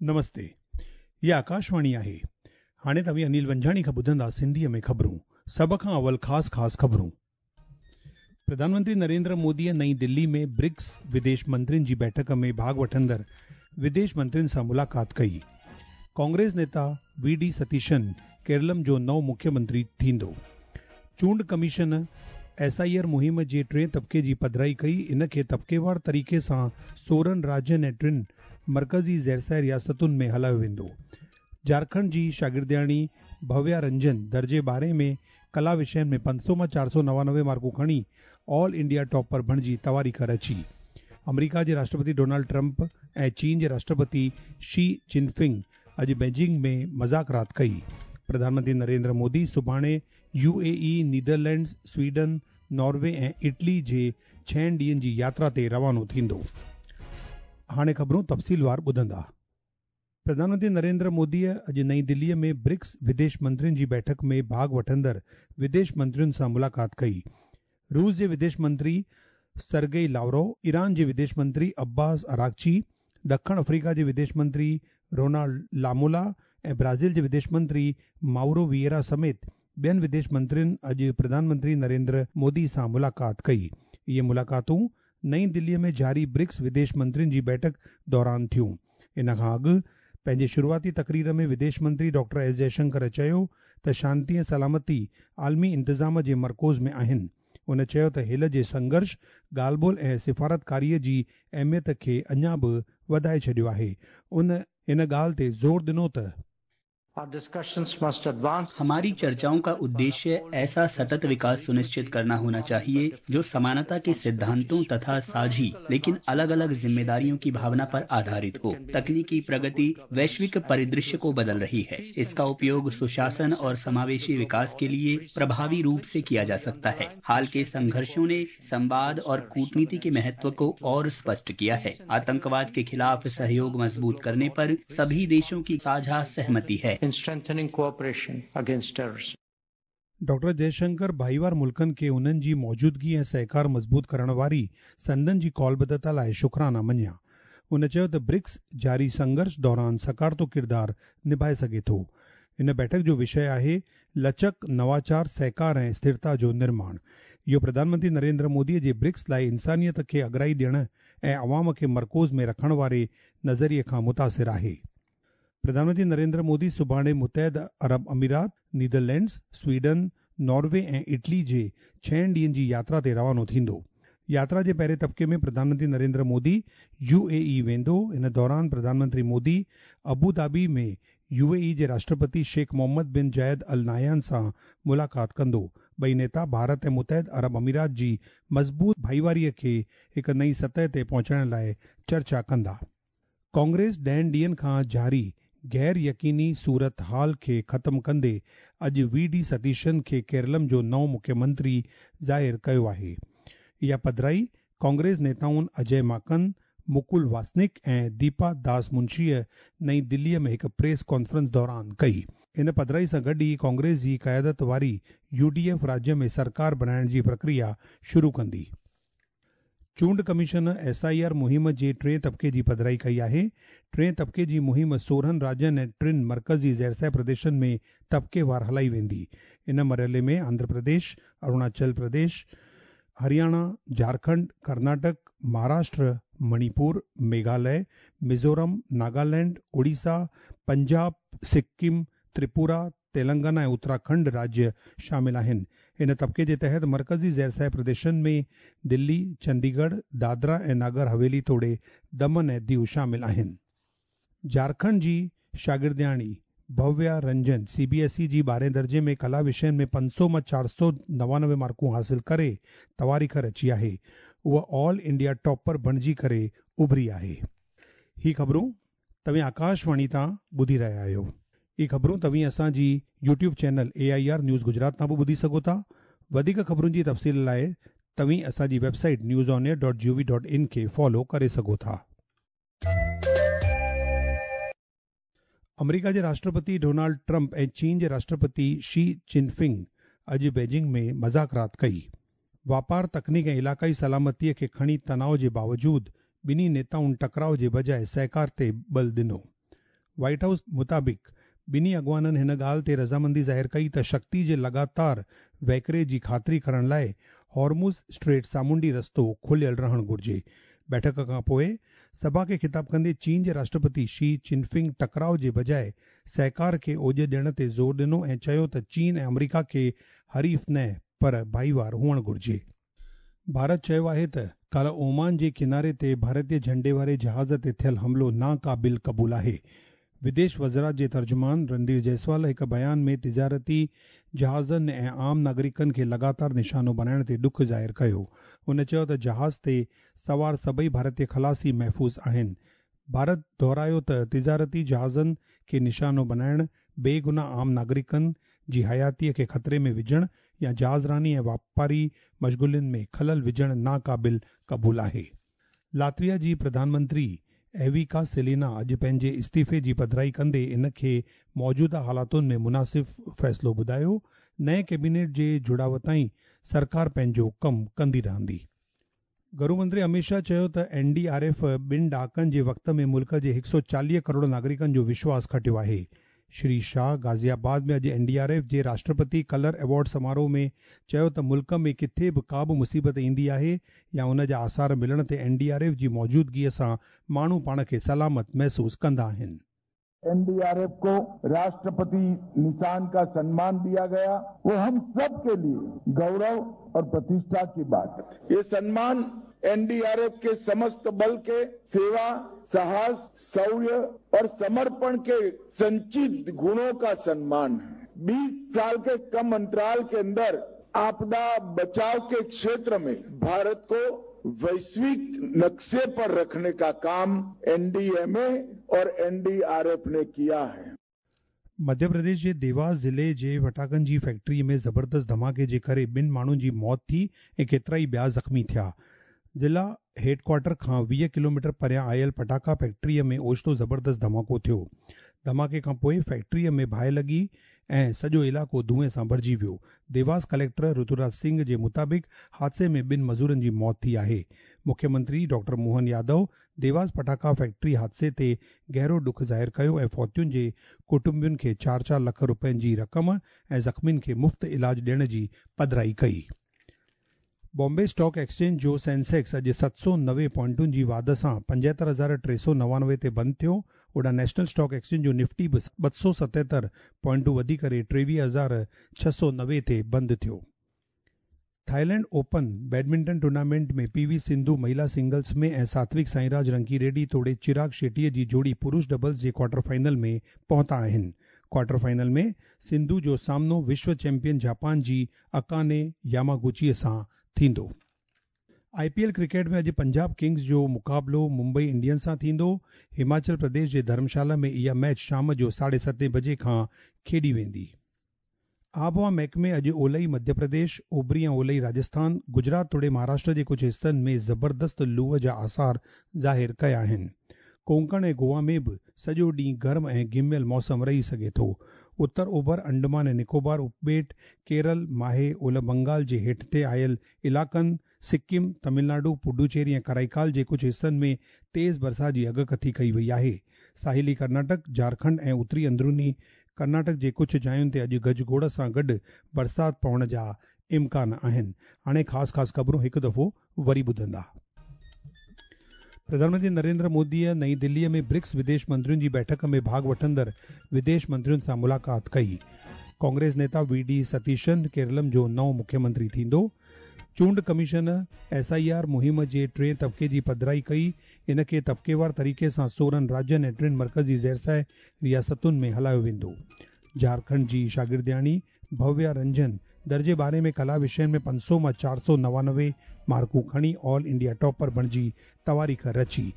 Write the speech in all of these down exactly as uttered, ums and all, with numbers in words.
नमस्ते, हीअ आकाशवाणी आहे। हाणे तव्हीं अनिल वंजाणी खां ॿुधंदा सिंधीअ में ख़बरूं। सभ खां अवल ख़ासि ख़ासि ख़बरूं। प्रधानमंत्री नरेंद्र मोदीअ नई दिल्ली में ब्रिक्स विदेश मंत्रियुनि जी बैठक में भाॻ वठंदड़ विदेश मंत्रियुनि सां मुलाक़ात कई। कांग्रेस नेता we D Satheesan Keralam जो नओं मुख्यमंत्री थींदो। चूंड कमीशन एस I R मुहिम जे टे तबिके जी पधराई कई। इन खे तबिकेवार तरीक़े सां सोरहं राज्यनि ऐं टिनि मर्कज़ी ज़ेरसह रियासतुनि में हलायो वेंदो। झारखंड जी शागिर्दियाणी भव्या रंजन दर्जे ॿारहें में कला विषयनि में पंज सौ मां चारि सौ नवानवे मार्कूं खणी ऑल इंडिया टॉपर बणिजी तवारीख़ रची। अमरीका जे राष्ट्रपति डोनाल्ड ट्रंप ऐं चीन जे राष्ट्रपति शी जिनपिंग अॼु बीजिंग में मज़ाकरात कई। प्रधानमंत्री नरेंद्र मोदी सुभाणे U A E, Netherlands, Sweden, Norway ऐं इटली जे छहनि ॾींहंनि जी यात्रा ते रवानो थींदो। हाणे ख़बरूं तफ़सीलवार ॿुधंदा। प्रधानमंत्री नरेंद्र मोदीअ अॼु नई दिल्लीअ में ब्रिक्स विदेश मंत्रियुनि जी बैठक में भाॻ वठंदड़ विदेश मंत्रियुनि सां मुलाक़ात कई। रूस जे विदेश मंत्री सरगेई लावरोव, ईरान जे विदेश मंत्री अब्बास अरागची, ॾखण अफ्रीका जे विदेश मंत्री रोनाल्ड लामोला ऐं ब्राज़ील जे विदेश मंत्री माउरो विएरा समेत ॿियनि विदेश मंत्रियुनि अॼु प्रधानमंत्री नरेंद्र मोदी सां मुलाक़ात कई। इहे मुलाक़ातूं नई दिल्लीअ में जारी ब्रिक्स विदेश मंत्रियुनि जी बैठक दौरान थियूं। इन खां अॻु पंहिंजे शुरूआती तकरीर में विदेश मंत्री डॉक्टर एस जयशंकर चयो त शांति ऐं सलामती आलमी इंतज़ाम जे मरकूज़ में आहिनि। उन चयो त हिल जे संघर्ष, ॻाल्हि ॿोल ऐं सिफारतकारीअ जी अहमियत खे अञा बि वधाए छॾियो आहे। उन इन ॻाल्हि ते ज़ोर ॾिनो त हमारी चर्चाओं का उद्देश्य ऐसा सतत विकास सुनिश्चित करना होना चाहिए जो समानता के सिद्धांतों तथा साझी लेकिन अलग अलग जिम्मेदारियों की भावना पर आधारित हो। तकनीकी प्रगति वैश्विक परिदृश्य को बदल रही है। इसका उपयोग सुशासन और समावेशी विकास के लिए प्रभावी रूप से किया जा सकता है। हाल के संघर्षों ने संवाद और कूटनीति के महत्व को और स्पष्ट किया है। आतंकवाद के खिलाफ सहयोग मजबूत करने पर सभी देशों की साझा सहमति है। In strengthening cooperation against terrorism. Doctor Jaishankar भाईवार मुल्कनि खे उन्हनि जी मौजूदगी ऐं सहकार मज़बूत करण वारी संदन जी कॉलबद्धता लाइ शुक्राना मञिया। उन चयो त ब्रिक्स जारी संघर्ष दौरान सकारातो किरदारु निभाए सघे थो। इन बैठक जो विषय आहे लचक, नवाचार, सहकार ऐं स्थिरता जो निर्माण। इहो प्रधानमंत्री नरेंद्र मोदीअ जे ब्रिक्स लाइ इंसानियत खे अगराई ॾियण ऐं अवाम खे मरकूज़ में रखण वारे नज़रिए खां मुतासिर आहे। प्रधानमंत्री नरेंद्र मोदी सुभाणे मुतहद अरब अमीरात, नीदरलैंड्स, स्वीडन, नॉर्वे ऐं इटली जे छहनि ॾींहंनि जी यात्रा ते रवानो थींदो। यात्रा जे पहिरें तबिके में प्रधानमंत्री नरेंद्र मोदी यू ए ई वेंदो। इन दौरान प्रधानमंत्री मोदी अबू धाबी में यू ए ई जे राष्ट्रपति शेख मोहम्मद बिन जायद अल नाहयान सां मुलाक़ात कंदो। ॿई नेता भारत ऐं मुतहद अरब अमीरात जी मज़बूत भाईवारीअ खे हिकु नई सतह ते पहुचाइण लाइ चर्चा कंदा। कांग्रेस ॾहनि ॾींहंनि खां जारी गैर यकीनी सूरत हाल खे ख़त्म कंदे अॼु we D Satheesan खे केरलम जो नओं मुख्यमंत्री ज़ाहिर कयो आहे। इहा पधराई कांग्रेस नेताउनि अजय माकन, मुकुल वासनिक ऐं दीपा दास मुंशीअ नई दिल्लीअ में हिकु प्रेस कॉन्फ्रेंस दौरान कई। इन पधराई सां गॾु ई कांग्रेस जी क़यादत वारी यू डी एफ राज्य में सरकार बणाइण जी प्रक्रिया शुरू कंदी। चूंड कमीशन एस I R मुहिम जे टे तबिके जी पधराई कई आहे। टे तबिके जी मुहिम सोरहं राज्यनि ऐं टिनि मर्कज़ी ज़ेरसह प्रदेशनि में तबिकेवार हलाई वेंदी। इन मरहले में आंध्र प्रदेश, अरुणाचल प्रदेश, हरियाणा, झारखंड, कर्नाटक, महाराष्ट्र, मणिपुर, मेघालय, मिज़ोरम, नागालैंड, ओडिशा, पंजाब, सिक्किम, त्रिपुरा, तेलंगाना ऐं उत्तराखंड राज्य शामिल आहिनि। इन तबिके जे तहत मर्कज़ी ज़ेरसह प्रदेशनि में दिल्ली, चंडीगढ़, दादरा ऐं नागर हवेली तोड़े दमन ऐं दीव शामिल आहिनि। झारखंड जी शागिर्दियाणी Bhavya Ranjan C B S E जी ॿारहें दर्जे में कला विषयनि में पंज सौ मां चारि सौ नवानवे मार्कूं हासिल करे तवारीख़ रची आहे। उहा ऑल इंडिया टॉपर बणिजी करे उभरी आहे। ही ख़बरूं तव्हीं आकाशवाणी तां ॿुधी रहिया आहियो। इहे ख़बरूं तव्हीं असांजी YouTube channel A I R news Gujarat तां बि ॿुधी सघो था। वधीक ख़बरुनि जी तफ़सील लाइ तव्हीं असांजी website news on air dot G O V dot in खे फॉलो करे सघो था। अमरीका जे राष्ट्रपति डोनाल्ड ट्रंप ऐं चीन जे राष्ट्रपति शी जिनपिंग अॼु बीजिंग में मज़ाकरात कई। वापार, तकनीक ऐं इलाक़ाई सलामतीअ खे खणी तनाव जे बावजूद ॿिन्ही नेताउनि टकराव जे बजाए सहकार ते बल ॾिनो। व्हाइट हाउस मुताबिक़ ॿिन्ही अॻवाननि हिन ॻाल्हि ते रज़ामंदी ज़ाहिर कई त शक्ति जे लगातार वहिकिरे जी ख़ातिरी करण लाइ हॉर्मुज़ स्ट्रेट सामुंडी रस्तो खुलियल रहणु घुरिजे। बैठक खां पोइ सभा खे ख़िताब कंदे चीन जे राष्ट्रपति शी चिनफिंग टकराव जे बजाए सहकार खे ओॼ ॾियण ते ज़ोर ॾिनो ऐं चयो त चीन ऐं अमरीका खे हरीफ़ न पर भाईवार हुअणु घुरिजे। भारत चयो आहे त काल्ह ओमान जे किनारे ते भारतीय झंडे वारे जहाज़ ते थियल हमिलो नाक़ाबिल क़बूल आहे। विदेश वज़ारत जे तर्जुमान रणधीर जायसवाल हिकु बयान में तिजारती जहाज़नि ऐं आम नागरिकनि खे लगातार निशानो बणाइण ते ॾुख ज़ाहिर कयो। हुन चयो त जहाज़ ते सवार सभई भारतीय ख़लासी महफ़ूज़ आहिनि। भारत दोहरायो त तिजारती जहाज़नि खे निशानो बणाइण, बेगुनाह आम नागरिकनि जी हयातीअ खे ख़तरे में विझणु या जहाज़रानी ऐं वापारी मशग़ुलियुनि में ख़लल विझणु नाक़ाबिल क़बूल आहे। लातविया जी प्रधानमंत्री एविका सेलिना अॼु पंहिंजे इस्तीफ़े जी पधराई कंदे इन खे मौजूदा हालातुनि में मुनासिब फ़ैसिलो ॿुधायो। नए कैबिनेट जे जुड़ाव ताईं सरकार पंहिंजो कमु कंदी रहंदी। घरू मंत्री अमित शाह चयो त एन डी आर एफ ॿिनि ॾहाकनि जे वक़्त में मुल्क जे हिकु सौ चालीह करोड़ नागरिकनि जो विश्वास खटियो आहे। श्री शाह गाज़ियाबाद में अॼु एन डी आर एफ जे राष्ट्रपति कलर अवॉर्ड समारोह में चयो त मुल्क में किथे बि का बि मुसीबत ईंदी आहे या उन जा आसार मिलण ते एन डी आर एफ जी मौजूदगीअ सां माण्हू पाण खे सलामत महसूस कंदा आहिनि। एन डी आर एफ को राष्ट्रपति निशान का सम्मान दिया गया, वो हम सब के लिए गौरव और प्रतिष्ठा की बात। ये सम्मान एन डी आर एफ के समस्त बल के सेवा, साहस, शौर्य और समर्पण के संचित गुणों का सम्मान है। बीस साल के कम अंतराल के अंदर आपदा बचाव के क्षेत्र में भारत को वैश्विक नक्शे पर रखने का काम एन डी एम ए और एन डी आर एफ ने किया है। मध्य प्रदेश जे देवास ज़िले जे पटाखनि जी फैक्ट्री में ज़बरदस्त धमाके जे करे ॿिनि माण्हुनि जी मौत थी ऐं केतिरा ई ॿिया ज़ख़्मी थिया। ज़िला हेडक्वार्टर खां वीह किलोमीटर परियां आयल पटाखा फैक्ट्रीअ में ओचितो ज़बरदस्त धमाको थियो। धमाके खां पोइ फैक्ट्रीअ में बाहि लॻी ऐं सॼो इलाइक़ो धुएं सां भरिजी वियो। देवास कलेक्टर ऋतुराज सिंह जे मुताबिक़ हादसे में ॿिनि मज़ूरनि जी मौत थी आहे। मुख्यमंत्री डॉक्टर मोहन यादव देवास पटाखा फैक्ट्री हादसे ते गहरो ॾुख ज़ाहिर कयो ऐं फौतियुनि जे कुटुंबियुनि खे चारि चारि लख रुपयनि जी रक़म ऐं ज़ख़्मियुनि खे मुफ़्त इलाज ॾियण जी पधराई कई। बॉम्बे स्टॉक एक्सचेंज जो सेंसेक्स अॼु सत सौ नवे पॉइंटुनि जी वाध सां पंजहतरि हज़ार टे सौ नवानवे ते बंदि थियो। होॾां नेशनल स्टॉक एक्सचेंज जो निफ्टी बि ॿ सौ सतहतरि पॉइंटूं वधी करे टेवीह हज़ार छह सौ नवे ते बंदि थियो। थाईलैंड ओपन बैडमिंटन टूर्नामेंट में पी वी सिंधु महिला सिंगल्स में ऐं सात्विक साईराज रंकी रेड्डी तोड़े चिराग शेट्टीअ जी जोड़ी पुरुष डबल्स जे क्वार्टर फाइनल में पहुता आहिनि। क्वार्टर फाइनल में सिंधु जो सामनो विश्व चैंपियन जापान जी अकाने यामागुचीअ सां थींदो। I P L cricket में अॼु पंजाब किंग्स जो मुक़ाबिलो मुंबई इंडियंस सां थींदो। हिमाचल प्रदेश जे धर्मशाला में इहा मैच शाम जो साढे सतें बजे खां खेॾी वेंदी। आबहवा महकमे अॼु ओलई मध्य प्रदेश, ओभरी ऐं ओलई राजस्थान, गुजरात तोड़े महाराष्ट्र जे कुझु हिसनि में ज़बरदस्त लूअ जा आसार ज़ाहिर कया आहिनि। कोंकण ऐं गोवा में बि सॼो ॾींहुं गर्म ऐं घिमियल मौसम रही सघे थो। उत्तर ओभर अंडमान ऐं निकोबार उपॿेट, केरल, माहे, ओलह बंगाल जे हेठि ते आयल इलाइक़नि, सिक्किम, तमिलनाडु, पुडुचेरी ऐं कराईकाल जे कुझु हिसनि में तेज़ बरसाति जी अॻकथी कई वई आहे। साहिली कर्नाटक, झारखंड ऐं उत्तरी अंदरूनी कर्नाटक जे कुझु जायुनि ते अॼु गजगोड़ सां गॾु बरसाति पवण जा इम्कान आहिनि। हाणे ख़ासि ख़ासि ख़बरूं हिकु दफ़ो वरी ॿुधंदा। प्रधानमंत्री नरेंद्र मोदीअ नई दिल्लीअ में ब्रिक्स विदेश मंत्रियुनि जी बैठक में भाग वठंदड़ विदेश मंत्रियुनि सां मुलाक़ात कई। कांग्रेस नेता we D Satheesan Keralam जो नओं मुख्यमंत्री थींदो। चूंड कमीशन एस I R मुहिम जे टे तबिके जी पधराई कई। इन खे तबिकेवार तरीक़े सां सोरहं राज्यनि ऐं टिनि मर्कज़ी ज़ेरसाए रियासतुनि में हलायो वेंदो। झारखंड जी शागिर्दियाणी भव्या रंजन दर्जे ॿारहें में कला विषयनि में पंज सौ मां चारि सौ नवानवे मार्कूं खणी ऑल इंडिया टॉपर बणिजी तवारीख़ रची।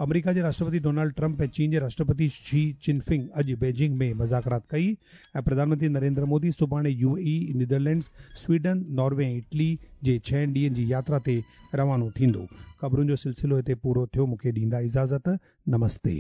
अमरीका जे राष्ट्रपति डोनाल्ड ट्रंप ऐं चीन जे राष्ट्रपति शी चिनफिंग अॼु बीजिंग में मुज़ाकरात कई ऐं प्रधानमंत्री नरेंद्र मोदी सुभाणे U A E, Netherlands, Sweden, Norway ऐं इटली जे छहनि ॾींहंनि जी यात्रा ते रवानो थींदो। ख़बरुनि जो सिलसिलो हिते पूरो थियो। मूंखे ॾींदा इजाज़त। नमस्ते।